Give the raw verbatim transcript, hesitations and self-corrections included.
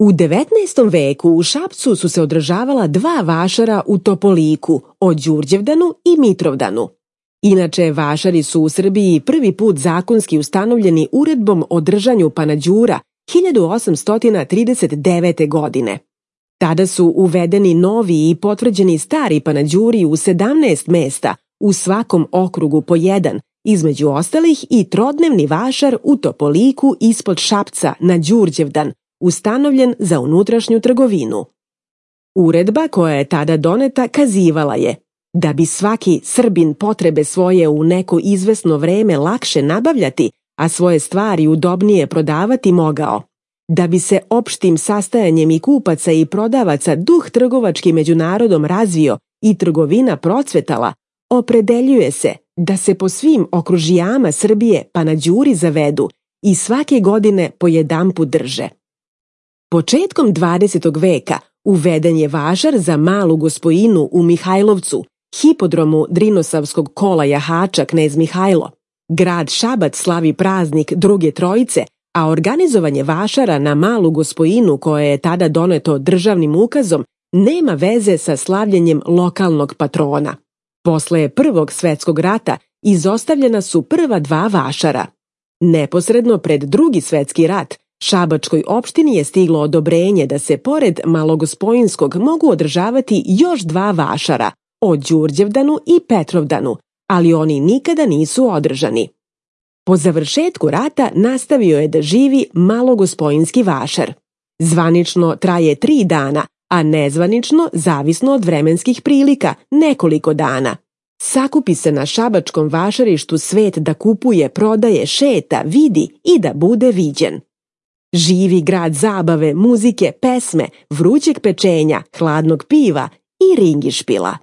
U devetnaestom veku u Šapcu su se održavala dva vašara u Topoliku, o Đurđevdanu i Mitrovdanu. Inače, vašari su u Srbiji prvi put zakonski ustanovljeni uredbom o držanju panađura hiljadu osamsto trideset devete. godine. Tada su uvedeni novi i potvrđeni stari panađuri u sedamnaest mesta, u svakom okrugu po jedan, između ostalih i trodnevni vašar u Topoliku ispod Šapca na Đurđevdan, ustanovljen za unutrašnju trgovinu. Uredba koja je tada doneta kazivala je da bi svaki Srbin potrebe svoje u neko izvesno vreme lakše nabavljati, a svoje stvari udobnije prodavati mogao, da bi se opštim sastajanjem i kupaca i prodavaca duh trgovački među narodom razvio i trgovina procvetala, opredeljuje se da se po svim okružijama Srbije panađuri zavedu i svake godine po jedanput drže. Početkom dvadesetog veka uveden je vašar za Malu Gospojinu u Mihajlovcu, hipodromu Drinosavskog kola jahača Knez Mihajlo. Grad Šabac slavi praznik Druge Trojice, a organizovanje vašara na Malu Gospojinu, koje je tada doneto državnim ukazom, nema veze sa slavljenjem lokalnog patrona. Posle Prvog svetskog rata izostavljena su prva dva vašara. Neposredno pred Drugi svetski rat Šabačkoj opštini je stiglo odobrenje da se pored Malogospojinskog mogu održavati još dva vašara, o Đurđevdanu i Petrovdanu, ali oni nikada nisu održani. Po završetku rata nastavio je da živi Malogospojinski vašar. Zvanično traje tri dana, a nezvanično, zavisno od vremenskih prilika, nekoliko dana. Sakupi se na šabačkom vašarištu svet da kupuje, prodaje, šeta, vidi i da bude viđen. Živi grad zabave, muzike, pesme, vrućeg pečenja, hladnog piva i ringišpila.